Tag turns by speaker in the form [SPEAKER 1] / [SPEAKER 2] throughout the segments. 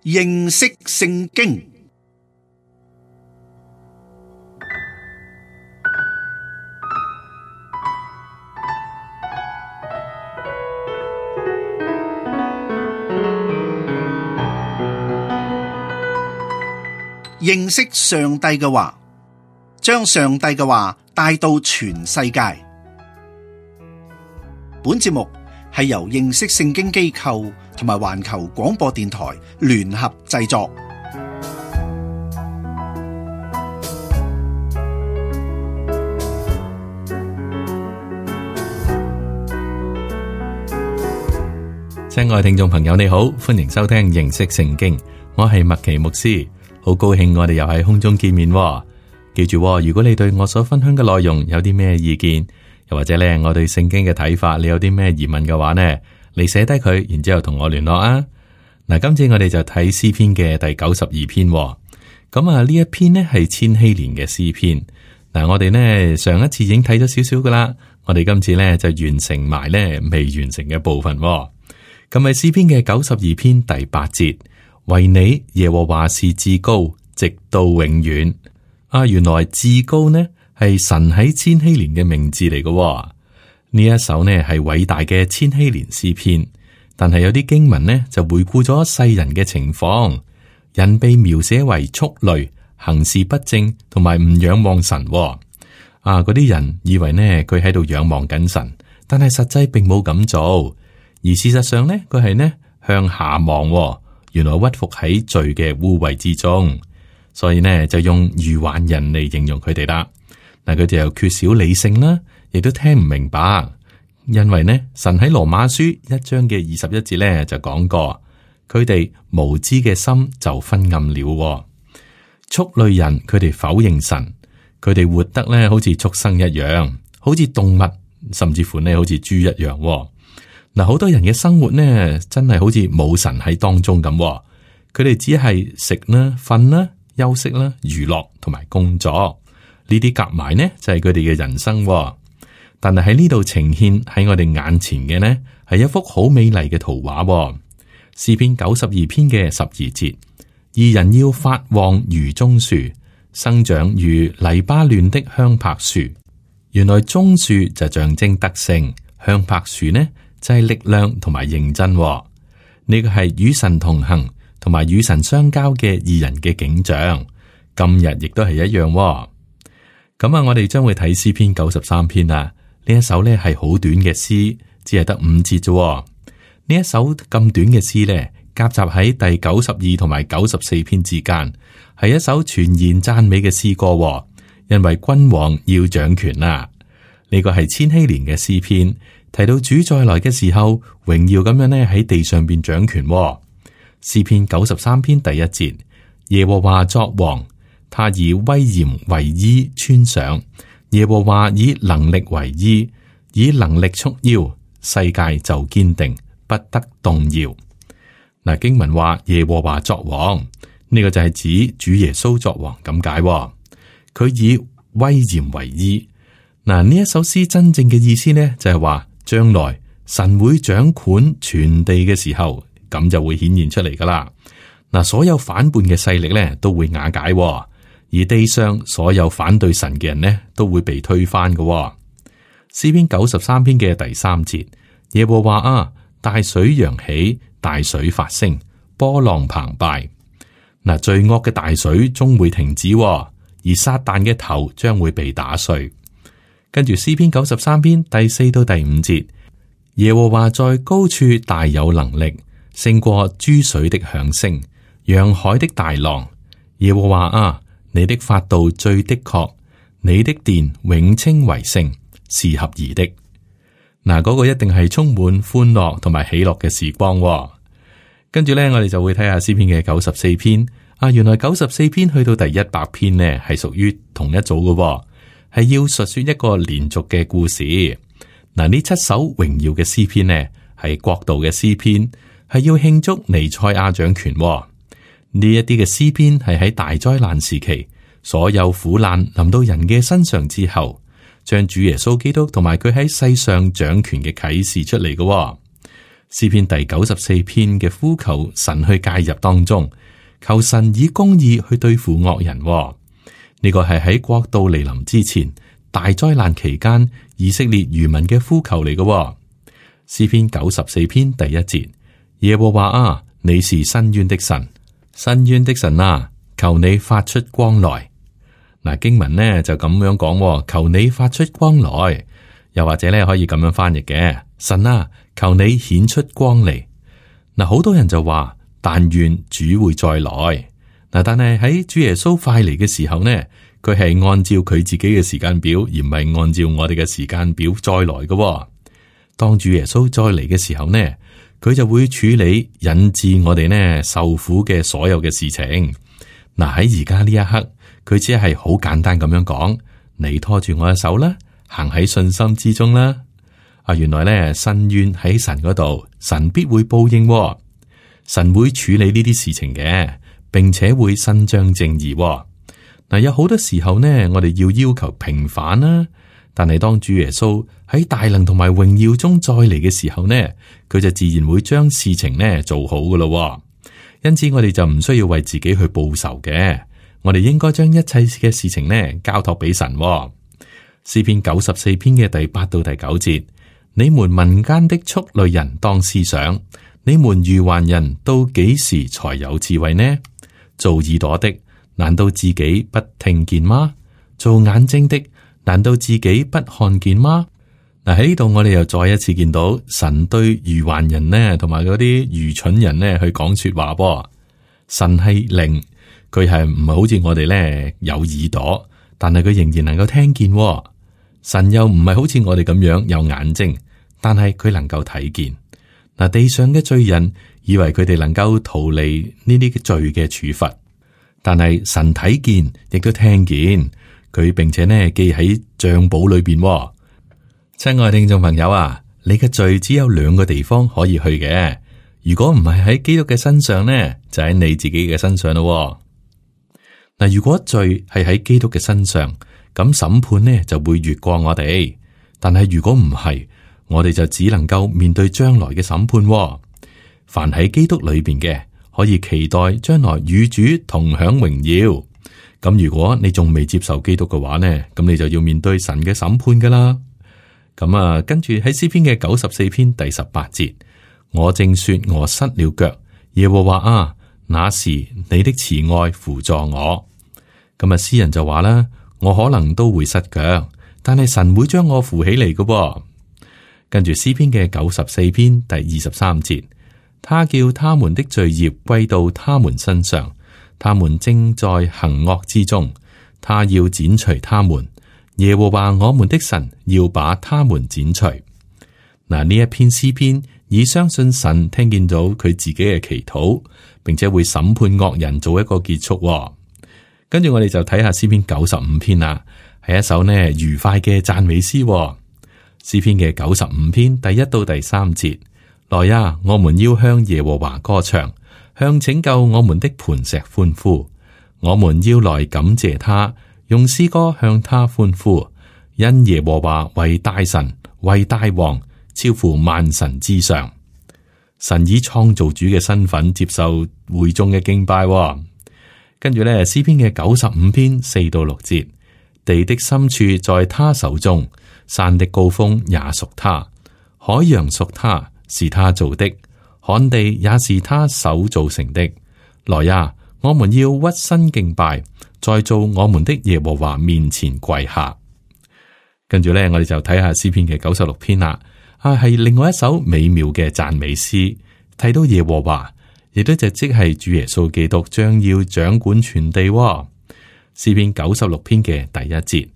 [SPEAKER 1] 認識聖經。認識上帝嘅話，將上帝嘅話帶到全世界。本節目係由認識聖經機構同埋環球廣播電台聯合製作。
[SPEAKER 2] 親愛聽眾朋友，你好，歡迎收聽認識聖經，我係麥奇牧師。好高興我哋又喺空中見面喎。記住喎，如果你對我所分享嘅內容有啲咩意見，又或者咧我對聖經嘅睇法，你有啲咩疑問嘅話呢，你寫低佢，然之後同我聯絡啊。嗱，今次我哋就睇詩篇嘅第92篇喎。咁啊，呢一篇呢係千禧年嘅詩篇。嗱，我哋呢上一次已經睇咗少少噶啦，我哋今次呢就完成埋呢未完成嘅部分喎。咁係詩篇嘅92篇第8節。為你耶和華是至高，直到永遠。原來至高呢係神喺千禧年嘅名字嚟嘅。呢一首呢係偉大嘅千禧年詩篇，但係有啲經文呢就回顧咗世人嘅情況，人被描寫為畜類，行事不正，同埋唔仰望神。嗰啲人以為呢佢喺度仰望緊神，但係實際並冇咁做，而事實上呢佢係呢向下望。原來屈服喺罪嘅污穢之中，所以呢就用愚頑人嚟形容佢哋啦。嗱，佢哋又缺少理性啦，亦都聽唔明白。因為呢神喺羅馬書1章嘅21節呢就講過，佢哋無知嘅心就昏暗了。畜類人佢哋否認神，佢哋活得呢好似畜生一樣，好似動物，甚至乎呢好似豬一樣。嗱，好多人嘅生活呢，真係好似冇神喺當中咁。佢哋只係食啦、瞓啦、休息啦、娛樂同埋工作，呢啲夾埋呢就係佢哋嘅人生。但係喺呢度呈現喺我哋眼前嘅呢，係一幅好美麗嘅圖畫。詩篇92篇嘅12節，義人要發旺如棕樹，生長如黎巴嫩的香柏樹。原來棕樹就象徵德性，香柏樹呢就係力量同埋認真。呢個係與神同行同埋與神相交嘅義人嘅景象。今日亦都係一樣。咁我哋將會睇詩篇93篇啦。呢一首呢係好短嘅詩，只係得5節啫。呢一首咁短嘅詩呢，夾雜喺第92同埋94篇之間，係一首全然讚美嘅詩歌。因為君王要掌權啦。呢個係千禧年嘅詩篇。提到主再來嘅時候，榮耀咁樣呢喺地上邊掌權。詩篇93篇第1節，耶和華作王，他以威嚴為衣穿上，耶和華以能力為衣，以能力束腰，世界就堅定，不得動搖。嗱，經文話耶和華作王，呢個就係指主耶穌作王咁解。佢以威嚴為衣。嗱，呢一首詩真正嘅意思呢，就係話。將來神會掌管全地嘅時候，咁就會顯現出嚟噶啦。嗱，所有反叛嘅勢力咧都會瓦解，而地上所有反對神嘅人呢都會被推翻嘅。詩篇93篇嘅第3節，耶和華啊，大水揚起，大水發聲，波浪澎湃。嗱，罪惡嘅大水終會停止，而撒旦嘅頭將會被打碎。跟住詩篇93篇第4到第5節，耶和華在高處大有能力，勝過諸水的響聲，洋海的大浪。耶和華啊，你的法度最的確，你的殿永稱為聖，是合宜的。嗱，嗰個一定係充滿歡樂同埋喜樂嘅時光。跟住呢，我哋就會睇下詩篇嘅94篇。原來94篇去到第100篇呢，係屬於同一組嘅。係要述說一個連續嘅故事。嗱，呢7首榮耀嘅詩篇呢，係國度嘅詩篇，係要慶祝彌賽亞掌權。呢一啲嘅詩篇係喺大災難時期，所有苦難臨到人嘅身上之後，將主耶穌基督同埋佢喺世上掌權嘅啟示出嚟嘅。詩篇第94篇嘅呼求神去介入當中，求神以公義去對付惡人。呢個係喺國度來臨之前大災難期間以色列餘民嘅呼求嚟嘅。詩篇94篇第1節，耶和華啊，你是伸冤的神，伸冤的神啊，求你發出光來。嗱，經文呢就咁樣講，求你發出光來，又或者咧可以咁樣翻譯嘅，神啊，求你顯出光嚟。嗱，好多人就話，但願主會再來。嗱，但係喺主耶穌快嚟嘅時候呢，佢係按照佢自己嘅時間表，而唔係按照我哋嘅時間表再來嘅。當主耶穌再嚟嘅時候呢，佢就會處理引致我哋呢受苦嘅所有嘅事情。嗱，喺而家呢一刻，佢只係好簡單咁樣講，你拖住我嘅手啦，行喺信心之中啦。原來呢，伸冤喺神嗰度，神必會報應，神會處理呢啲事情嘅，並且會伸張正義。嗱，有好多時候呢，我哋要求平反啦，但係當主耶穌喺大能同埋榮耀中再嚟嘅時候呢，佢就自然會將事情呢做好噶咯。因此，我哋就唔需要為自己去報仇嘅，我哋應該將一切嘅事情呢交託俾神。詩篇94篇嘅第8到第9節，你們民間的畜類人當思想，你們愚頑人到幾時才有智慧呢？做耳朵的，難道自己不聽見嗎？做眼睛的，難道自己不看見嗎？嗱，喺呢度我哋又再一次見到神對愚頑人呢，同埋嗰啲愚蠢人呢去講說話噃。神係靈，佢係唔係好似我哋呢有耳朵，但係佢仍然能夠聽見。神又唔係好似我哋咁樣有眼睛，但係佢能夠睇見。嗱，地上嘅罪人以為佢哋能夠逃離呢啲罪嘅處罰，但係神睇見，亦都聽見佢，並且呢記喺賬簿裏邊。親愛聽眾朋友啊，你嘅罪只有2個地方可以去嘅，如果唔係喺基督嘅身上呢，就喺你自己嘅身上咯。嗱，如果罪係喺基督嘅身上，咁審判呢就會越過我哋；但係如果唔係，我哋就只能夠面對將來嘅審判。凡喺基督裏邊嘅，可以期待將來與主同享榮耀。咁如果你仲未接受基督嘅話呢，咁你就要面對神嘅審判噶啦。咁跟住喺詩篇嘅94篇第18節，我正說我失了腳，耶和華啊，那時你的慈愛扶助我。咁詩人就話啦，我可能都會失腳，但係神會將我扶起嚟嘅。跟住詩篇嘅94篇第23節，他叫他們的罪孽歸到他們身上，他們正在行惡之中，他要剪除他們。耶和華我們的神要把他們剪除。嗱，呢一篇詩篇以相信神聽見到佢自己嘅祈禱，並且會審判惡人做一個結束。跟住我哋就睇下詩篇95篇啦，係一首呢愉快嘅讚美詩。詩篇嘅95篇第1到第3節，來呀，我們要向耶和華歌唱，向拯救我們的磐石歡呼。我們要來感謝他，用詩歌向他歡呼，因耶和華為大神，為大王，超乎萬神之上。神以創造主嘅身份接受會眾嘅敬拜。跟住咧，詩篇嘅95篇4到6節，地的深處在他手中，山的高峰也屬他，海洋屬他，是他造的，旱地也是他手造成的。來呀，我們要屈身敬拜，在造我們的耶和華面前跪下。跟住咧，我哋就睇下詩篇嘅96篇啦。係另外一首美妙嘅讚美詩，提到耶和華，亦都即係主耶穌基督將要掌管全地。詩篇96篇嘅第1節，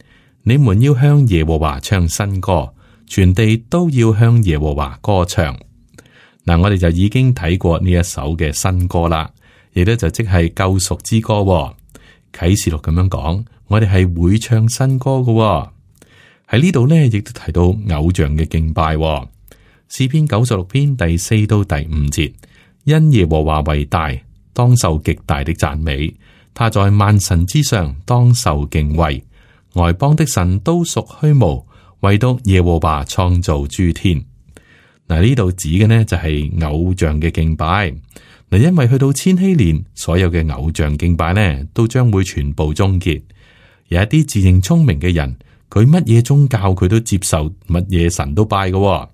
[SPEAKER 2] 你們要向耶和華唱新歌，全地都要向耶和華歌唱。嗱，我哋就已經睇過呢一首嘅新歌啦，亦都就即係救贖之歌。啟示錄咁樣講，我哋係會唱新歌嘅。喺呢度呢，亦都提到偶像嘅敬拜。詩篇96篇第4到第5節，因耶和華為大，當受極大的讚美，他在萬神之上，當受敬畏。外邦的神都屬虛無，唯獨耶和華創造諸天。嗱，呢度指嘅呢就係偶像嘅敬拜。嗱，因為去到千禧年，所有嘅偶像敬拜呢都將會全部終結。有一啲自認聰明嘅人，佢乜嘢宗教佢都接受，乜嘢神都拜嘅。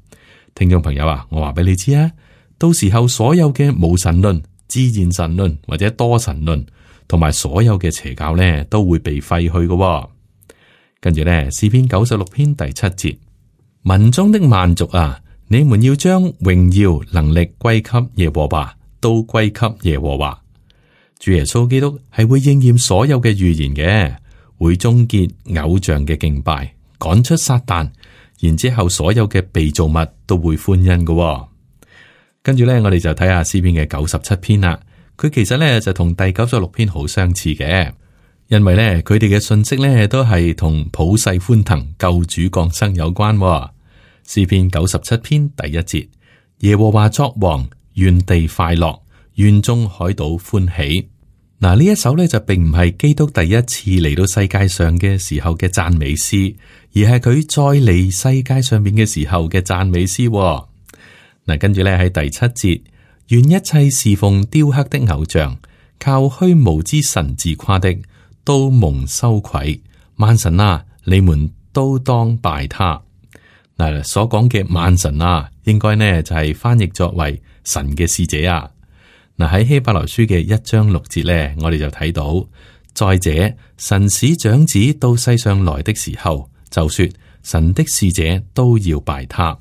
[SPEAKER 2] 聽眾朋友啊，我話俾你知啊，到時候所有嘅無神論、自然神論或者多神論，同埋所有嘅邪教呢，都會被廢去嘅。跟住呢，詩篇96篇第7節，民中的萬族啊，你們要將榮耀能力歸給耶和華，都歸給耶和華。主耶穌基督係會應驗所有嘅預言嘅，會終結偶像嘅敬拜，趕出撒旦，然之後所有嘅被造物都會歡欣嘅。跟住咧，我哋就睇下詩篇嘅97篇啦。佢其實咧就同第96篇好相似嘅，因為咧佢哋嘅信息咧都係同普世歡騰、救主降生有關。詩篇97篇第1節，耶和華作王，願地快樂，願眾海島歡喜。嗱，呢一首咧就並唔係基督第一次嚟到世界上嘅時候嘅讚美詩，而係佢再嚟世界上面嘅時候嘅讚美詩。嗱，跟住咧喺第7節，願一切侍奉雕刻的偶像、靠虛無之神自誇的，都蒙羞愧。萬神啊，你們都當拜他。嗱，所講嘅萬神啊，應該呢就係翻譯作為神嘅使者啊。嗱，喺希伯來書嘅1章6節咧，我哋就睇到，再者，神使長子到世上來的時候，就說神的使者都要拜他。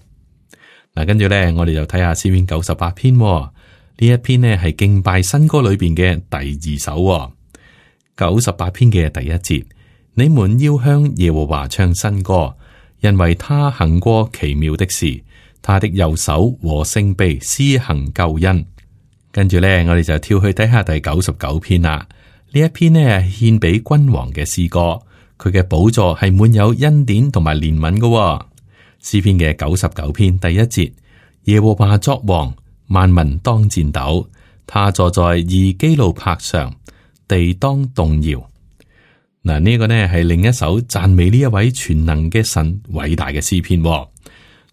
[SPEAKER 2] 嗱，跟住咧，我哋就睇下詩篇98篇，呢一篇呢係敬拜新歌裏邊嘅第2首。98篇嘅第1節，你們要向耶和華唱新歌，因為他行過奇妙的事，他的右手和聖臂施行救恩。跟住咧，我哋就跳去睇下第99篇啦。呢一篇呢係獻俾君王嘅詩歌，佢嘅寶座係滿有恩典同埋憐憫嘅。詩篇嘅99篇第1節，耶和華作王，萬民當戰鬥，他坐在二基路伯上，地當動搖。嗱，呢個呢係另一首讚美呢一位全能嘅神偉大嘅詩篇。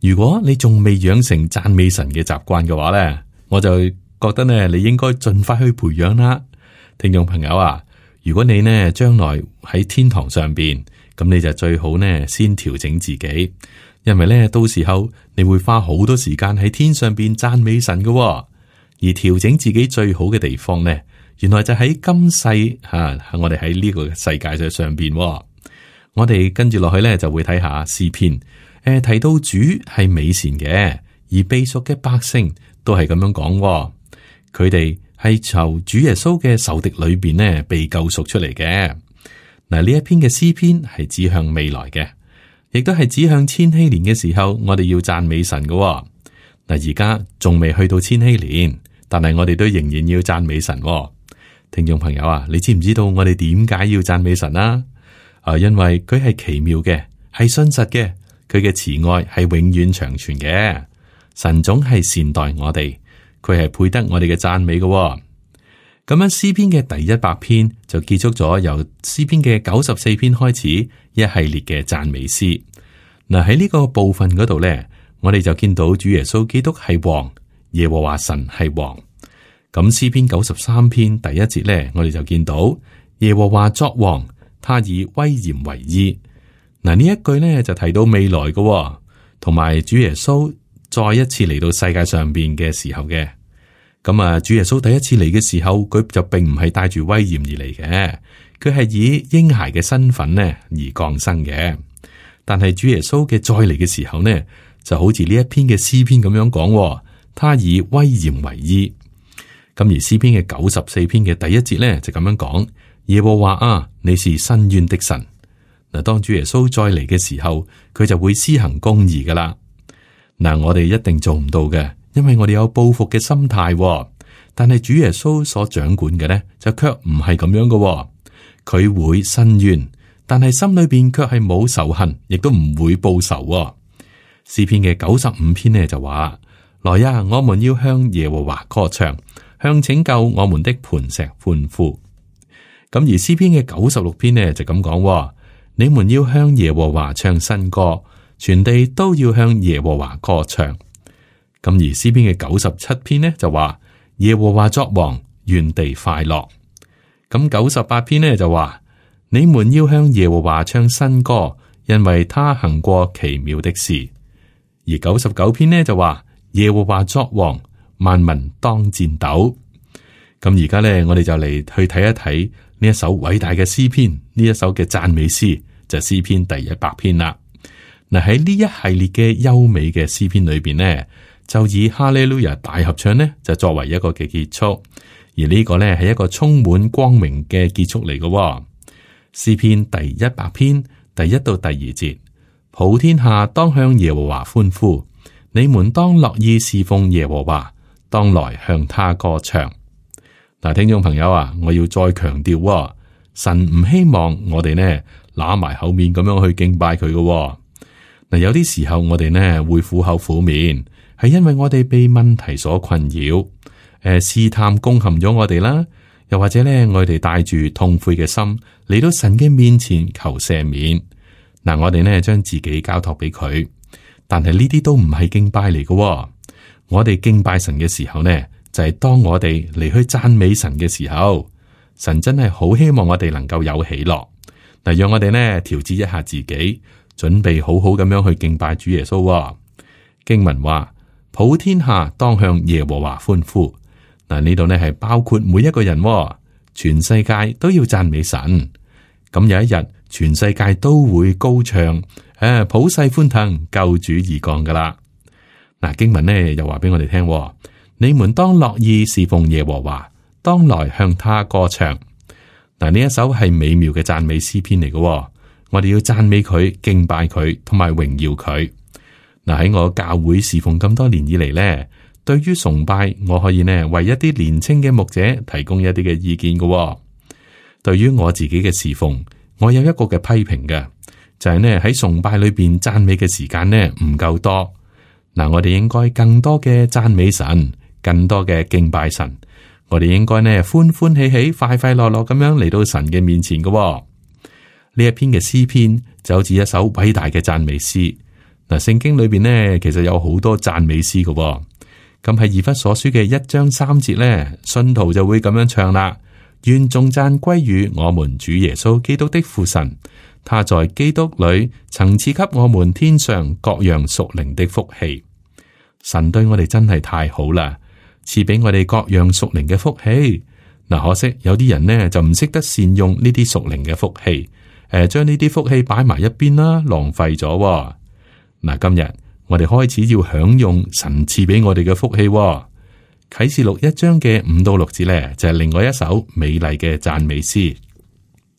[SPEAKER 2] 如果你仲未養成讚美神嘅習慣嘅話呢，我就覺得呢，你應該盡快去培養啦。聽眾朋友啊，如果你呢將來喺天堂上邊，咁你就最好呢先調整自己，因為呢到時候你會花好多時間喺天上邊讚美神嘅。而調整自己最好嘅地方呢，原來就喺今世我哋喺呢個世界上邊。我哋跟住落去呢，就會睇下詩篇，提到主係美善嘅，而被贖嘅百姓都係咁樣講。佢哋係由主耶穌嘅仇敵裏邊呢被救贖出嚟嘅。嗱，呢一篇嘅詩篇係指向未來嘅，亦都係指向千禧年嘅時候，我哋要讚美神嘅。嗱，而家仲未去到千禧年，但係我哋都仍然要讚美神。聽眾朋友啊，你知唔知道我哋點解要讚美神啊？因為佢係奇妙嘅，係信實嘅，佢嘅慈愛係永遠長存嘅。神總係善待我哋。佢係配得我哋嘅讚美嘅。咁樣詩篇嘅第100篇就結束咗由詩篇嘅94篇開始一系列嘅讚美詩。嗱，喺呢個部分嗰度咧，我哋就見到主耶穌基督係王，耶和華神係王。咁詩篇93篇第1節咧，我哋就見到耶和華作王，他以威嚴為衣。嗱，呢一句咧就提到未來嘅，同埋主耶穌再一次嚟到世界上邊嘅時候嘅。咁啊，主耶穌第一次嚟嘅時候，佢就並唔係帶住威嚴而嚟嘅，佢係以嬰孩嘅身份呢而降生嘅。但係主耶穌嘅再嚟嘅時候呢，就好似呢一篇嘅詩篇咁樣講，他以威嚴為衣。咁而詩篇嘅94篇嘅第1節呢，就咁樣講：耶和華啊，你是伸冤的神。嗱，當主耶穌再嚟嘅時候，佢就會施行公義噶啦。嗱，我哋一定做唔到嘅，因為我哋有報復嘅心態。但係主耶穌所掌管嘅呢，就卻唔係咁樣嘅。佢會伸冤，但係心裏邊卻係冇仇恨，亦都唔會報仇。詩篇嘅95篇呢就話：來呀，我們要向耶和華歌唱，向拯救我們的磐石歡呼。咁而詩篇嘅96篇呢就咁講：你們要向耶和華唱新歌，全地都要向耶和華歌唱。咁而詩篇嘅97篇呢就話耶和華作王，願地快樂。咁98篇呢就話你們要向耶和華唱新歌，因為他行過奇妙的事。而99篇呢就話耶和華作王，萬民當戰鬥。咁而家呢，我哋就嚟去睇一睇呢一首偉大嘅詩篇，呢一首嘅讚美詩就係詩篇第100篇啦。嗱，喺呢一系列嘅優美嘅詩篇裏邊呢，就以哈利路亞大合唱呢就作為一個嘅結束，而呢個呢係一個充滿光明嘅結束嚟嘅。詩篇第100篇第1到第2節，普天下當向耶和華歡呼，你們當樂意侍奉耶和華，當來向他歌唱。嗱，聽眾朋友啊，我要再強調，神唔希望我哋呢揦埋口面咁樣去敬拜佢嘅。嗱，有啲時候我哋呢會苦口苦面，係因為我哋被問題所困擾，試探攻陷咗我哋啦，又或者呢我哋帶住痛悔嘅心嚟到神嘅面前求赦免。嗱，我哋呢將自己交託俾佢，但係呢啲都唔係敬拜嚟嘅。我哋敬拜神嘅時候呢，就係當我哋嚟去讚美神嘅時候，神真係好希望我哋能夠有喜樂。嗱，讓我哋呢調節一下自己，準備好好咁樣去敬拜主耶穌。經文話，普天下當向耶和華歡呼。嗱，呢度呢係包括每一個人，全世界都要讚美神。咁有一日，全世界都會高唱，普世歡騰，救主而降噶啦。嗱，經文呢又話俾我哋聽，你們當樂意侍奉耶和華，當來向他歌唱。嗱，呢一首係美妙嘅讚美詩篇嚟嘅，我哋要讚美佢、敬拜佢同埋榮耀佢。嗱，喺我教會侍奉咁多年以嚟呢，對於崇拜，我可以呢為一啲年輕嘅牧者提供一啲嘅意見嘅。對於我自己嘅侍奉，我有一個嘅批評嘅，就係呢喺崇拜裏邊讚美嘅時間呢唔夠多。嗱，我哋應該更多嘅讚美神，更多嘅敬拜神。我哋應該呢歡歡喜喜、快快樂樂咁樣嚟到神嘅面前嘅。呢一篇嘅詩篇就好似一首偉大嘅讚美詩。嗱，聖經裏邊呢其實有好多讚美詩嘅。咁喺以弗所書嘅1章3節呢，信徒就會咁樣唱啦：願頌讚歸於我們主耶穌基督的父神，他在基督裏曾賜給我們天上各樣屬靈的福氣。神對我哋真係太好啦，賜俾我哋各樣屬靈嘅福氣。嗱，可惜有啲人呢就唔識得善用呢啲屬靈嘅福氣，將呢啲福氣擺埋一邊啦，浪費咗。嗱，今日我哋開始要享用神賜俾我哋嘅福氣。啟示錄1章嘅5到6節呢，就係另外一首美麗嘅讚美詩。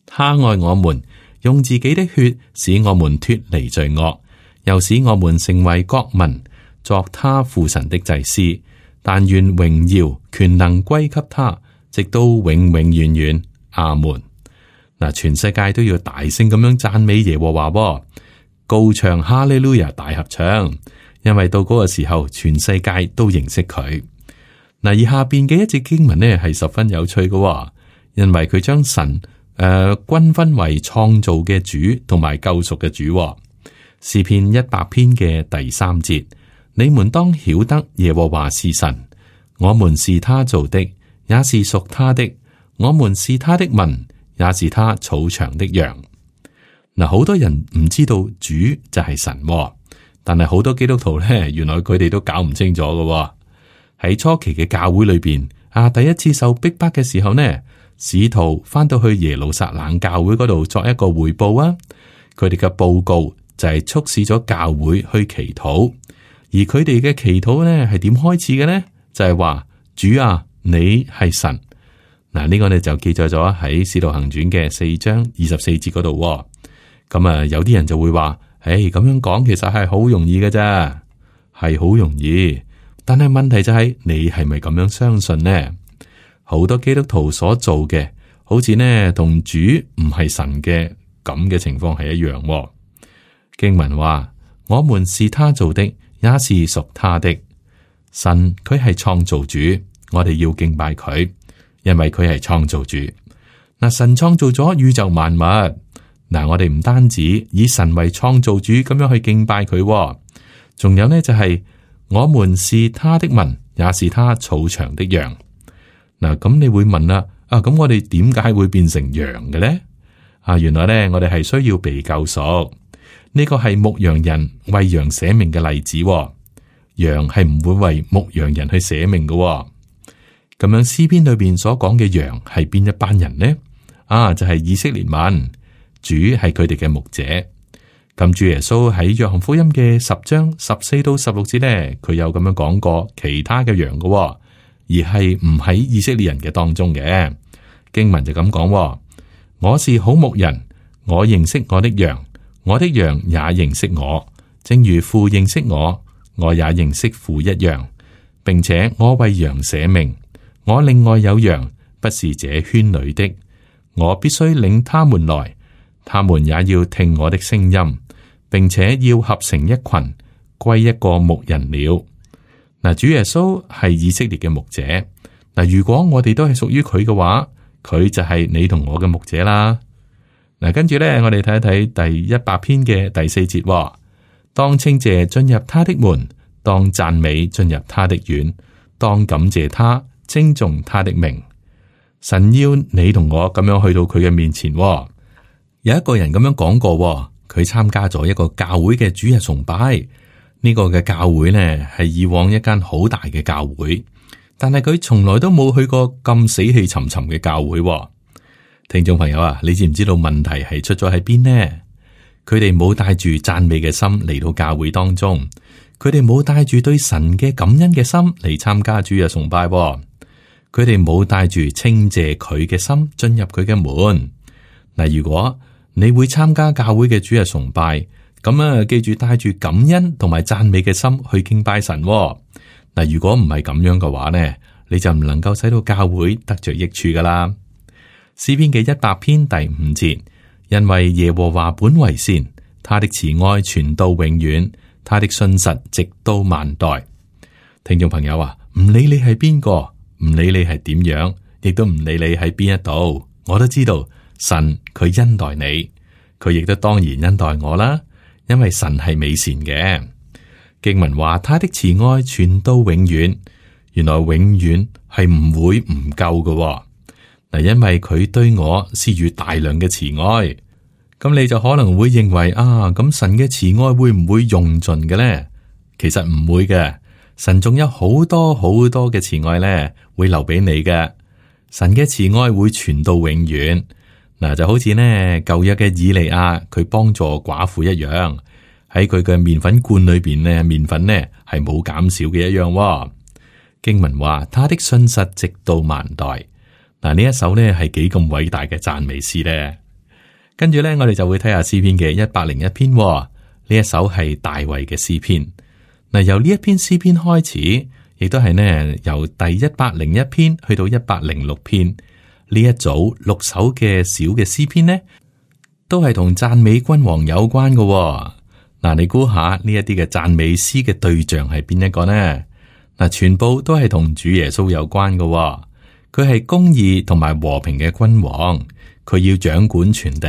[SPEAKER 2] 他愛我們，用自己的血使我們脫離罪惡，又使我們成為國民，作他父神的祭司。但願榮耀權能歸給他，直到永永遠遠。阿門。嗱，全世界都要大聲咁樣讚美耶和華，高唱哈利路亞大合唱，因為到嗰個時候，全世界都認識佢。嗱，而下邊嘅一節經文呢係十分有趣嘅，因為佢將神均分為創造嘅主同埋救贖嘅主。詩篇100篇嘅第3節，你們當曉得耶和華是神，我們是他造的，也是屬他的，我們是他的民，也是他草場的羊。嗱，好多人唔知道主就係神，但係好多基督徒咧，原來佢哋都搞唔清楚嘅。喺初期嘅教會裏邊，第一次受逼迫嘅時候呢，使徒翻到去耶路撒冷教會嗰度作一個匯報啊，佢哋嘅報告就係促使咗教會去祈禱，而佢哋嘅祈禱呢係點開始嘅呢？就係話主啊，你係神。嗱，呢個呢就記載咗喺使徒行傳嘅4章24節嗰度。咁啊，有啲人就會話，咁樣講其實係好容易嘅啫，係好容易。但係問題就係你係咪咁樣相信呢？好多基督徒所做嘅，好似呢同主唔係神嘅咁嘅情況係一樣。經文話，我們是他造的，也是屬他的。神佢係創造主，我哋要敬拜佢，因為佢係創造主。嗱，神創造咗宇宙萬物，嗱，我哋唔單止以神為創造主咁樣去敬拜佢，仲有呢就係我們是他的民，也是他草場的羊。嗱，咁你會問啦，咁我哋點解會變成羊嘅咧？原來咧，我哋係需要被救贖。呢個係牧羊人為羊捨命嘅例子。羊係唔會為牧羊人去捨命嘅。咁樣詩篇裏邊所講嘅羊係邊一班人呢？就係以色列民，主係佢哋嘅牧者。咁主耶穌喺約翰福音嘅10章14到16節咧，佢有咁樣講過其他嘅羊嘅，而係唔喺以色列人嘅當中嘅。經文就咁講：我是好牧人，我認識我的羊，我的羊也認識我，正如父認識我，我也認識父一樣，並且我為羊捨命。我另外有羊，不是這圈裏的，我必須領他們來，他們也要聽我的聲音，並且要合成一群，歸一個牧人了。嗱，主耶穌係以色列嘅牧者。嗱，如果我哋都係屬於佢嘅話，佢就係你同我嘅牧者啦。嗱，跟住咧，我哋睇一睇第100篇嘅第4節。當稱謝進入他的門，當讚美進入他的院，當感謝他，稱頌他的名。神要你同我咁樣去到佢嘅面前。有一個人咁樣講過，佢參加咗一個教會嘅主日崇拜。呢個嘅教會呢，係以往一間好大嘅教會，但係佢從來都冇去過咁死氣沉沉嘅教會。聽眾朋友啊，你知唔知道問題係出咗喺邊呢？佢哋冇帶住讚美嘅心嚟到教會當中，佢哋冇帶住對神嘅感恩嘅心嚟參加主日崇拜。佢哋冇帶住稱謝佢嘅心進入佢嘅門。嗱，如果你會參加教會嘅主日崇拜，咁記住帶住感恩同埋讚美嘅心去敬拜神。嗱，如果唔係咁樣嘅話呢，你就唔能夠使到教會得着益處噶啦。詩篇嘅100篇第5節，因為耶和華本為善，他的慈愛傳到永遠，他的信實直到萬代。聽眾朋友啊，唔理你係邊個，唔理你係點樣，亦都唔理你喺邊一度，我都知道神佢恩待你，佢亦都當然恩待我啦。因為神係美善嘅。經文話他的慈愛傳到永遠，原來永遠係唔會唔夠嘅。嗱，因為佢對我施予大量嘅慈愛，咁你就可能會認為咁神嘅慈愛會唔會用盡嘅咧？其實唔會嘅，神仲有好多好多嘅慈愛咧，會留俾你嘅。神嘅慈愛會傳到永遠。嗱，就好似呢舊約嘅以利亞，佢幫助寡婦一樣，喺佢嘅麵粉罐裏邊呢，麵粉呢係冇減少嘅一樣。經文話他的信實直到萬代。嗱，呢一首呢係幾咁偉大嘅讚美詩呢？跟住呢，我哋就會睇下詩篇嘅101篇。呢一首係大衛嘅詩篇。嗱，由呢一篇詩篇開始，亦都係呢由第101篇去到106篇。呢一組6首嘅小嘅詩篇呢，都係同讚美君王有關嘅。嗱，你估下呢一啲嘅讚美詩嘅對象係邊一個呢？嗱，全部都係同主耶穌有關嘅。佢係公義同埋和平嘅君王，佢要掌管全地。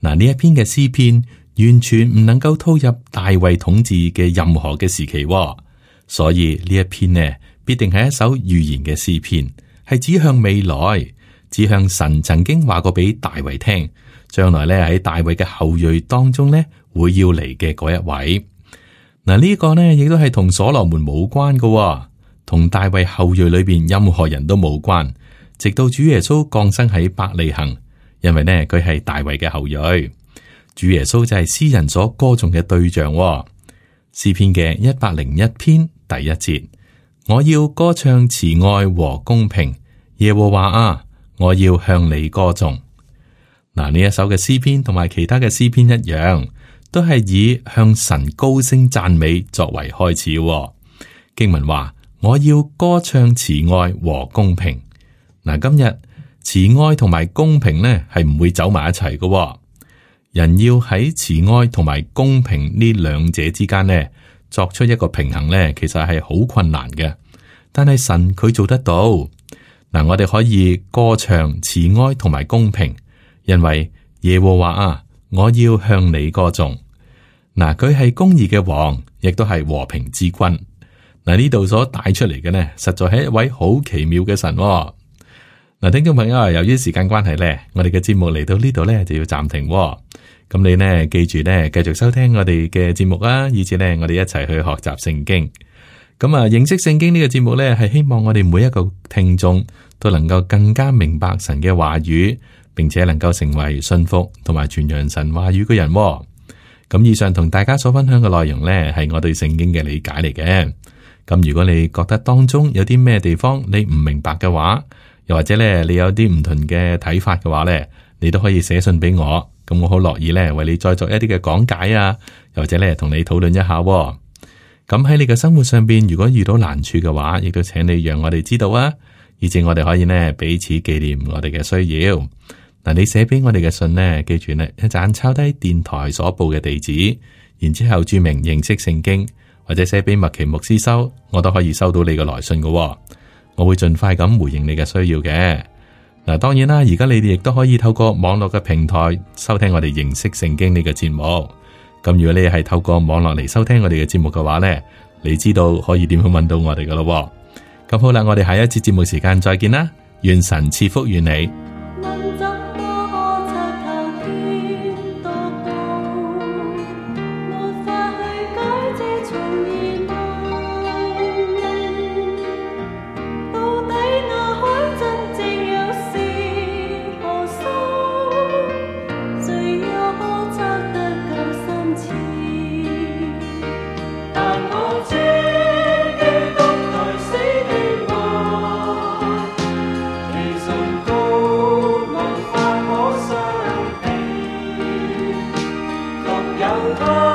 [SPEAKER 2] 嗱，呢一篇嘅詩篇完全唔能夠套入大衛統治嘅任何嘅時期，所以呢一篇呢，必定係一首預言嘅詩篇。係指向未來，指向神曾經話過俾大衛聽，將來咧喺大衛嘅後裔當中咧會要嚟嘅嗰一位。嗱，呢個呢亦都係同所羅門冇關嘅，同大衛後裔裏邊任何人都冇關。直到主耶穌降生喺伯利恆，因為呢佢係大衛嘅後裔，主耶穌就係詩人所歌頌嘅對象。詩篇嘅101篇第1節，我要歌唱慈愛和公平。耶和華啊，我要向你歌頌。嗱，呢一首嘅詩篇同埋其他嘅詩篇一樣，都係以向神高聲讚美作為開始。經文話，我要歌唱慈愛和公平。嗱，今日慈愛同埋公平呢係唔會走埋一齊嘅。人要喺慈愛同埋公平呢兩者之間呢作出一個平衡呢，其實係好困難嘅。但係神佢做得到。嗱，我哋可以歌唱慈愛同埋公平，因為耶和華啊，我要向你歌頌。嗱，佢係公義嘅王，亦都係和平之君。嗱，呢度所帶出嚟嘅呢，實在係一位好奇妙嘅神喎。嗱，聽眾朋友啊，由於時間關係呢，我哋嘅節目嚟到呢度呢，就要暫停喎。咁你呢，記住呢，繼續收聽我哋嘅節目啊，以至呢，我哋一齊去學習聖經。咁啊，認識聖經呢個節目呢，係希望我哋每一個聽眾都能夠更加明白神嘅話語，並且能夠成為信服同埋傳揚神話語嘅人喎。咁以上同大家所分享嘅內容呢，係我對聖經嘅理解嚟嘅。咁如果你覺得當中有啲咩地方你唔明白嘅話，又或者咧你有啲唔同嘅睇法嘅話呢，你都可以寫信俾我。咁我好樂意咧為你再作一啲嘅講解啊，又或者咧同你討論一下喎。咁喺你嘅生活上邊，如果遇到難處嘅話，亦都請你讓我哋知道啊，以至我哋可以呢彼此紀念我哋嘅需要。嗱，你寫俾我哋嘅信呢，記住呢一陣抄低電台所報嘅地址，然之後注明認識聖經，或者寫俾麥奇牧師收，我都可以收到你嘅來信嘅喎。我會盡快咁回應你嘅需要嘅。嗱，當然啦，而家你哋亦都可以透過網絡嘅平台收聽我哋認識聖經呢個節目。咁如果你係透過網絡嚟收聽我哋嘅節目嘅話呢，你知道可以點樣揾到我哋噶咯。咁好啦，我哋下一次節目時間再見啦，願神賜福與你。
[SPEAKER 3] 有他。